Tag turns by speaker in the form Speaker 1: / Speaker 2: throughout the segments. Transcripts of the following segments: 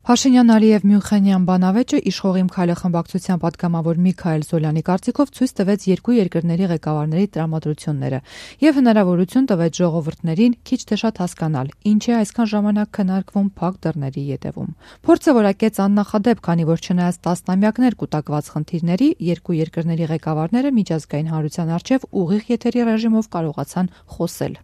Speaker 1: Փաշինյան-Ալիև Մյունխենյան բանավեճը իշխող Քայլե խմբակցության պատգամավոր Միքայել Զոլյանի կարծիքով ցույց տվեց երկու երկրների ղեկավարների տրամադրությունները եւ հնարավորություն տվեց ժողովուրդներին քիչ թե շատ հասկանալ, ինչ է այսքան ժամանակ քննարկվում փակ դռների ետևում։ Փորձը որակեց աննախադեպ, քանի որ չնայած տասնամյակներ կուտակված խնդիրների, երկու երկրների ղեկավարները միջազգային հանրության առջև ուղիղ եթերի ռեժիմով կարողացան խոսել։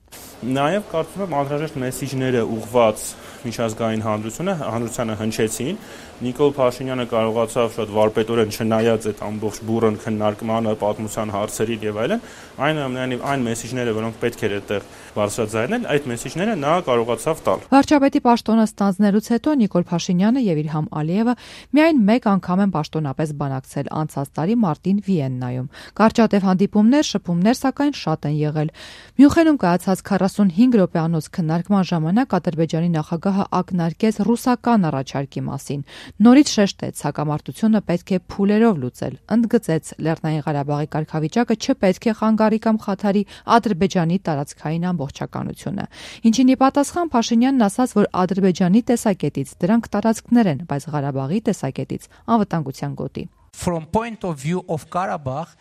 Speaker 2: Նաեւ կարծում եմ անհրաժեշտ մեսիջները ուղղված միջազգային հանրությանը հնչեցին։ Նիկոլ Փաշինյանը կարողացավ շատ վարպետորեն չնայած այդ ամբողջ բուրըն քննարկմանը, պատմության հարցերին եւ այլն, այնուամենայնիվ այն մեսիջները, որոնք պետք էր այդտեղ բարձրաձայնել, այդ մեսիջները նա կարողացավ տալ։
Speaker 1: Վարչապետի պաշտոնը ստանձնելուց հետո Նիկոլ Փաշինյանը եւ Իլհամ Ալիևը միայն մեկ անգամ են պաշտոնապես բանակցել անցած տարի մարտին Վիեննայում։ Կարճատև հանդիպումներ, շփումներ սակայն շատ են եղել։ Մյունխենում կայացած 45 րոպեանոց քննարկման ժամանակ Ադրբեջանի նախագահը ակնարկեց ռուսական առաջարկի մասին։ Նորից շեշտեց, հակամարտությունը պետք է փուլերով լուծել, ընդգծեց Լեռնային Ղարաբաղի կարգավիճակը չպետք է խանգարի կամ խաթարի Ադրբեջանի տարածքային ամբողջականությունը։ Ինչին ի պատասխան Փաշինյանն ասաց, որ Ադրբեջանի տեսակետից դրանք տարածքներ են, բայց Ղարաբաղի տեսակետից անվտանգության գոտի։
Speaker 3: From point of view of Karabakh,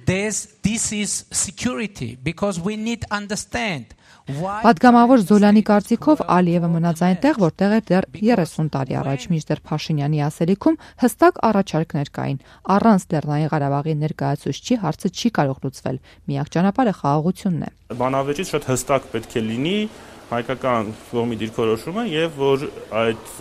Speaker 3: this is security because we need understand.
Speaker 1: Պատգամավոր Զոլյանի կարծիքով Ալիևը մնաց այնտեղ, որտեղ էր դեռ 30 տարի առաջ, մինչդեռ Փաշինյանի ասելիքում հստակ առաջարկներ կային։ Առանց Լեռնային Ղարաբաղի ներկայացուցչի հարցը չի կարող լուծվել։ Միակ ճանապարհը խաղաղությունն է։
Speaker 2: Բանավեճից շատ հստակ պետք է լինի հայկական կողմի դիրքորոշումը եւ որ այդ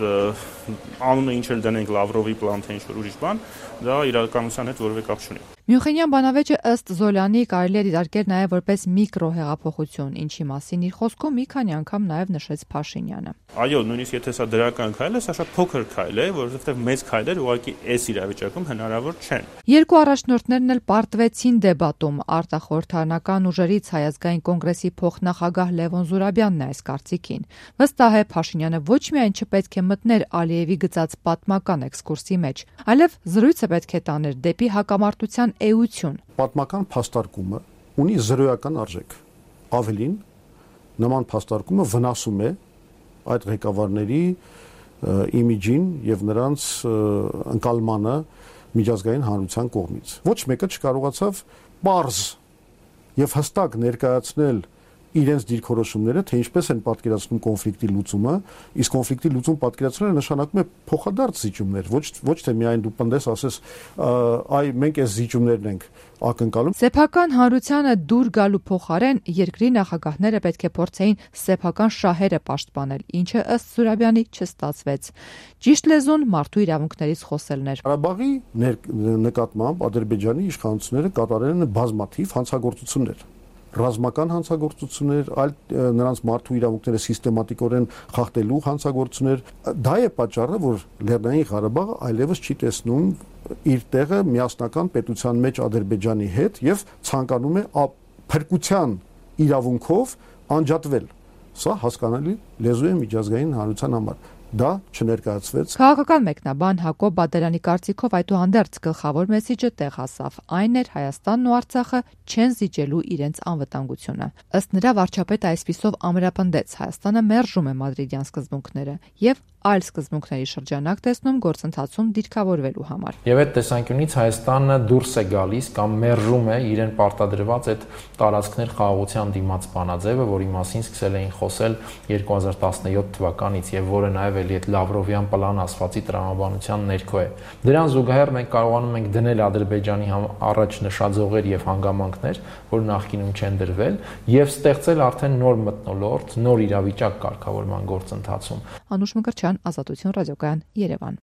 Speaker 2: անունը ինչ էլ դնենք Լավրովի պլան թե ինչ-որ ուրիշ բան, դա իրականության հետ որևէ կապ չունի։
Speaker 1: Մյունխենյան բանավեճը ըստ Զոլյանի կարելի է դիտարկել նաև որպես միկրո հեղափոխություն, ինչի մասին իր խոսքում մի քանի անգամ նաև նշեց Փաշինյանը։
Speaker 2: Այո, նույնիսկ եթե սա դրական քայլ է, սա շատ փոքր քայլ է, որովհետև մեծ քայլեր ուղղակի այս իրավիճակում հնարավոր չեն։
Speaker 1: Երկու առաջնորդներն էլ պարտվեցին դեբատում։ Արտախորհրդարանական ուժերից Հայազգային կոնգրեսի փոխնախագահ Լևոն Զուրաբյանն է այս կարծիքին։ Վստահ է Փաշինյանը ոչ միայն չպետք է մտներ Ալիևի գծած պատմական էքսկուրսի մեջ, այլև զրույցը պետք է տաներ դեպի հակամարտության էություն։
Speaker 4: Պատմական փաստարկումը ունի զրոյական արժեք։ Ավելին, նման փաստարկումը վնասում է այդ ղեկավարների իմիջին եւ նրանց ընկալմանը միջազգային հանրության կողմից։ Ոչ մեկը չկարողացավ պարզ եւ հստակ ներկայացնել իրենց դիրքորոշումները, թե ինչպես են պատկերացնում կոնֆլիկտի լուծումը, իսկ կոնֆլիկտի լուծում պատկերացնելը նշանակում է փոխադարձ զիջումներ, ոչ թե միայն դու պնդես ասես, այ մենք այս զիջումներն ենք ակնկալում։
Speaker 1: Սեփական հանրությանը դուր գալու փոխարեն երկրի նախագահները պետք է փորձեին սեփական շահերը պաշտպանել, ինչը ըստ Զուրաբյանի չստացվեց։ Ճիշտ լեզուն մարդու իրավունքներից խոսելն էր։
Speaker 4: Ղարաբաղի նկատմամբ Ադրբեջանի իշխանությունները կատարել են բազմաթիվ հանցագործություններ։ Ռազմական հանցագործություններ, այլ նրանց մարդու իրավունքները սիստեմատիկորեն խախտելու հանցագործություններ, դա է պատճառը, որ Լեռնային Ղարաբաղը այլևս չի տեսնում իր տեղը միասնական պետության մեջ Ադրբեջանի հետ եւ ցանկանում է փրկության իրավունքով անջատվել։ Սա հասկանալի լեզու է միջազգային հանրության համար։ Դա չներկայացվեց։
Speaker 1: Քաղաքական մեկնաբան Հակոբ Բադարյանի կարծիքով այդուհանդերձ գլխավոր մեսիջը տեղ հասավ։ Այն էր Հայաստանն ու Արցախը չեն զիջելու իրենց անվտանգությունը։ Ըստ նրա վարչապետը այսպիսով ամրապնդեց Հայաստանը մերժում է մադրիդյան սկզբունքները եւ այլ սկզբունքների շրջանակ տեսնում գործընթացում դիրքավորվելու համար։
Speaker 5: Եվ այդ տեսանկյունից Հայաստանը դուրս է գալիս կամ մերժում է իրեն պարտադրված այդ տարածքներ խաղաղության դիմաց բանաձևը, որի մասին սկսել էին խոսել 2017 թվականից եւ որը նաեւ էլի այդ Լավրովյան պլան ասվածի տրամաբանության ներքո է։ Դրան զուգահեռ մենք կարողանում ենք դնել Ադրբեջանի առաջ նշաձողեր եւ հանգամանքներ, որ նախկինում չեն դրվել, եւ ստեղծել արդեն նոր մթնոլորտ, նոր իրավիճակ կարգավորման գործընթացում։
Speaker 1: Անուշ Մկրտչյան, Ազատություն ռադիոկայան, Երևան։